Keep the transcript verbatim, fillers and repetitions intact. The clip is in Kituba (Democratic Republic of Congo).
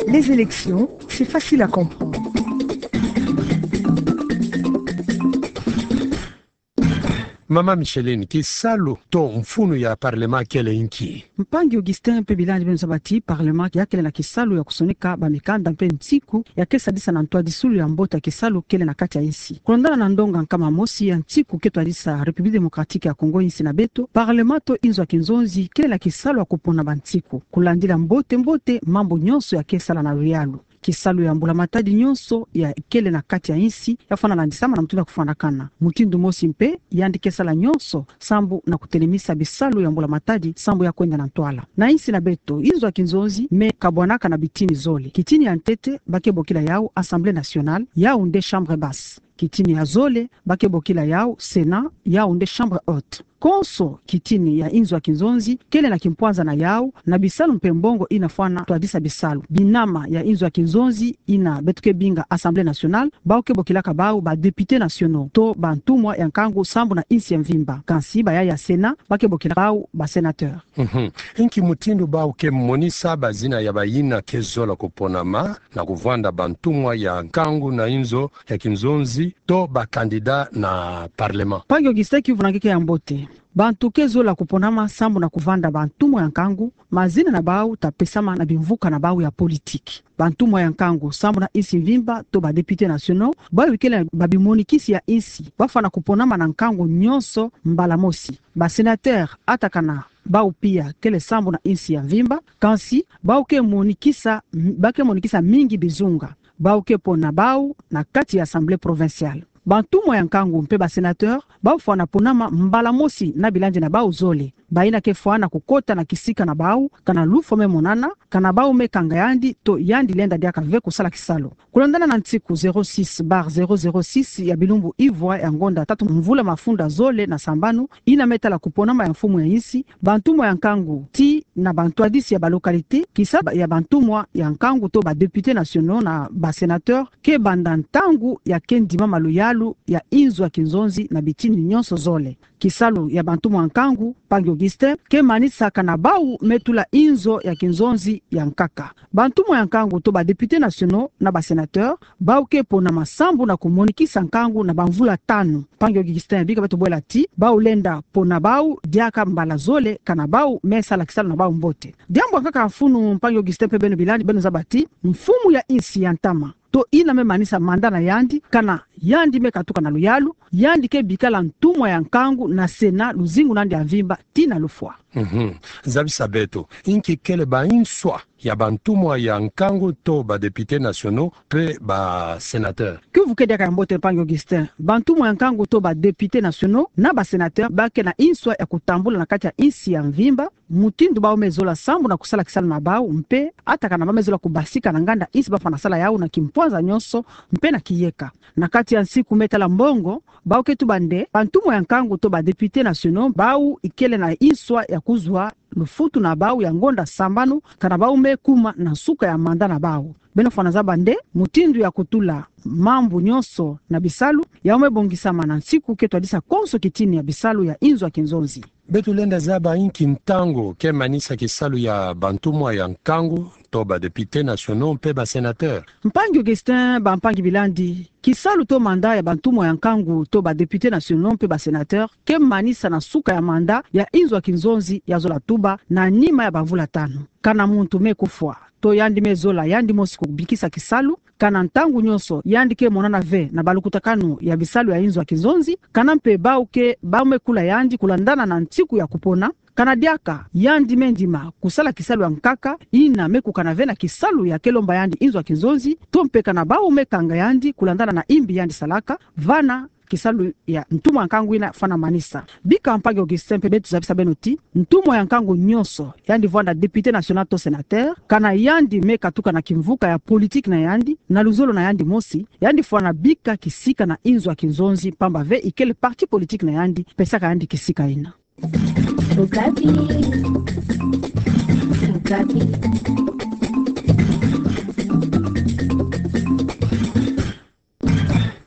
Les élections, c'est facile à comprendre. Mama Micheline, kisalu to mfunu ya parlement kele nki? Mpangi Augustin mpe bilandi beno zaba ti parlement ya kele na kisalu ya kusonika bamikanda mpe nsiku ya ke sadisa na ntwadisulu ya mbote ya kisalu kele na kati ya insi. Kulandana na ndonga nkama mosi ya nsiku ke twadisa République Démocratique ya Congo, insi na beto, parlement to inzo ya kinzonzi kele na kisalu ya kupona bansiku, kulandila mbote mbote mambu nyonso ya ke sala na luyalu. Kisalu ya mbula-matadi nyonso ya kele na kati ya insi ya fwana landisama na mutindu ya kufwanakana. Mutindu mosi mpe, yandi ke sala nyonso sambu na kutelemisa bisalu ya mbula-matadi sambu ya kwenda na ntwala. Na insi na beto, inzo ya kinzonzi me kabwanaka na bitini zole. Kitini ya ntete, ba ke bokila yawu Assemblée nationale, yawu nde chambre basse. Kitini ya zole, ba ke bokila yawu Sénat, yawu nde chambre haute. Konso kitini ya inzo ya kinzonzi kele na kimpwanza na yawu, na bisalu mpe mbongo ina fwana twadisa bisalu. Binama ya inzo ya kinzonzi ina beto ke binga Assemblée nationale, bawu ke bokilaka bawu ba députés nationaux, to bantumwa ya nkangu sambu na insi ya mvimba. Kansi bayaya Sénat, ba ke bokila bawu ba sénateurs. Mhm. Nki mutindu bawu ke monisa bazina ya bayina ke zola kuponama na kuvanda bantumwa ya nkangu na inzo ya kinzonzi to ba candidats na parlement? Mpangi Augustin, kivuna nge ke ya mbote. Bantu ke zola kuponama sambu na kuvanda bantumwa ya nkangu, mazina na bawu ta pesama na bimvuka na bawu ya politique. Bantumwa ya nkangu sambu na insi mvimba to ba députés nationaux, bawu kele babimonikisi ya insi, ba fwana kuponama na nkangu nyonso mbala mosi. Ba sénateurs, ata kana bawu pia kele sambu na insi ya mvimba, kansi bawu ke monikisa, ba ke monikisa mingi bizunga. Bawu ke pona bawu na kati ya Assemblée provinciale. Bantumwa ya nkangu mpe ba sénateurs, bawu fwana ponama mbala mosi na bilandi na bawu zole. Bayina ke fwana kukota na kisika na bawu, kana lufwa me monana, kana bawu me kanga yandi, to yandi lenda diaka ve kusala kisalu. Kulandana na nsiku zéro six barre zéro zéro six ya bilumbu ivwa ya ngonda tatu mvula mafunda zole na sambanu, ina me tala kuponama ya mfumu ya insi, bantumwa ya nkangu tii na bantwadisi ya ba localités, kisalu ya bantumwa ya nkangu to ba députés nationaux na ba sénateurs, ke banda ntangu ya ke ndimama luyalu ya inzo ya kinzonzi na bitini nyonso zole. Kisalu ya bantumwa ya nkangu, mpangi Augustin, ke manisa kana bawu me tula inzo ya kinzonzi ya nkaka. Bantumwa ya nkangu to ba députés nationaux na ba sénateurs, bawu ke ponama sambu na kumonikisa nkangu na bamvula tanu. Mpangi Augustin, bika beto bwela ti bawu lenda pona bawu diaka mbala zole kana bawu me sala kisalu na bawu mbote. Diambu ya nkaka mfunu, mpangi Augustin mpe beno bilandi, beno zaba ti mfumu ya insi ya ntama, to ina me manisa mandat na yandi, kana yandi me katuka na luyalu, yandi ke bikala ntumwa ya nkangu na Sénat luzingu na yandi ya mvimba tii na lufwa. Mhm. Zabisa beto, nki kele ba inswa ya bantumwa ya nkangu to ba députés nationaux mpe ba sénateurs? Kiuvu ke diaka ya mbote, mpangi Augustin. Bantumwa ya nkangu to ba députés nationaux na ba sénateurs ba ke na inswa ya kutambula na kati ya insi ya mvimba mutindu bawu me zola sambu na kusala kisalu na bawu, mpe ata kana ba me zola kubasika na nganda insi ba fwana sala yawu na kimpwanza nyonso mpe na kiyeka. Na kati ya nsiku me tala mbongo, bawu ke tuba nde bantumwa ya nkangu to ba députés nationaux, bawu ikele na inswa ya kuzwa lufutu na bawu ya ngonda sambanu kana bawu me kuma na nsuka ya mandat na bawu. Beno fwana zaba nde mutindu ya kutula mambu nyonso na bisalu yawu me bongisama na nsiku ke twadisa konso kitini ya bisalu ya inzo ya kinzonzi. Beto lenda zaba nki ntangu ke manisa kisalu ya bantumwa ya nkangu to ba députés nationaux mpe ba sénateurs? Mpangi Augustin, bampangi bilandi, kisalu to mandat ya bantumwa ya nkangu to ba députés nationaux mpe ba sénateurs ke manisa na suka ya mandat ya inzo ya kinzonzi ya zola tuba na nima ya bamvula tanu. Kana muntu me kufwa to yandi me zola yandi mosi kubikisa kisalu, kana ntangu nyonso yandi ke monana ve na balukutakanu ya bisalu ya inzo ya kinzonzi, kana mpe bawu ke, bawu me kula yandi kulandana na nsiku ya kupona, kana diaka yandi me ndima kusala kisalu ya nkaka ina me kukana ve na kisalu ya ke lomba yandi inzo ya kinzonzi, to mpe kana bawu me kanga yandi kulandana na imbi yandi salaka, vana kisalu ya ntumwa ya nkangu ina fwana manisa. Bika mpangi Augustin mpe beto zabisa beno ti ntumwa ya nkangu nyonso, yandi vwanda député national to sénateur, kana yandi me katuka na kimvuka ya politique na yandi, na luzolo na yandi mosi, yandi fwana bika kisika na inzo ya kinzonzi, pamba ve ikele parti politique na yandi pesaka yandi kisika ina. Okapi. Okapi.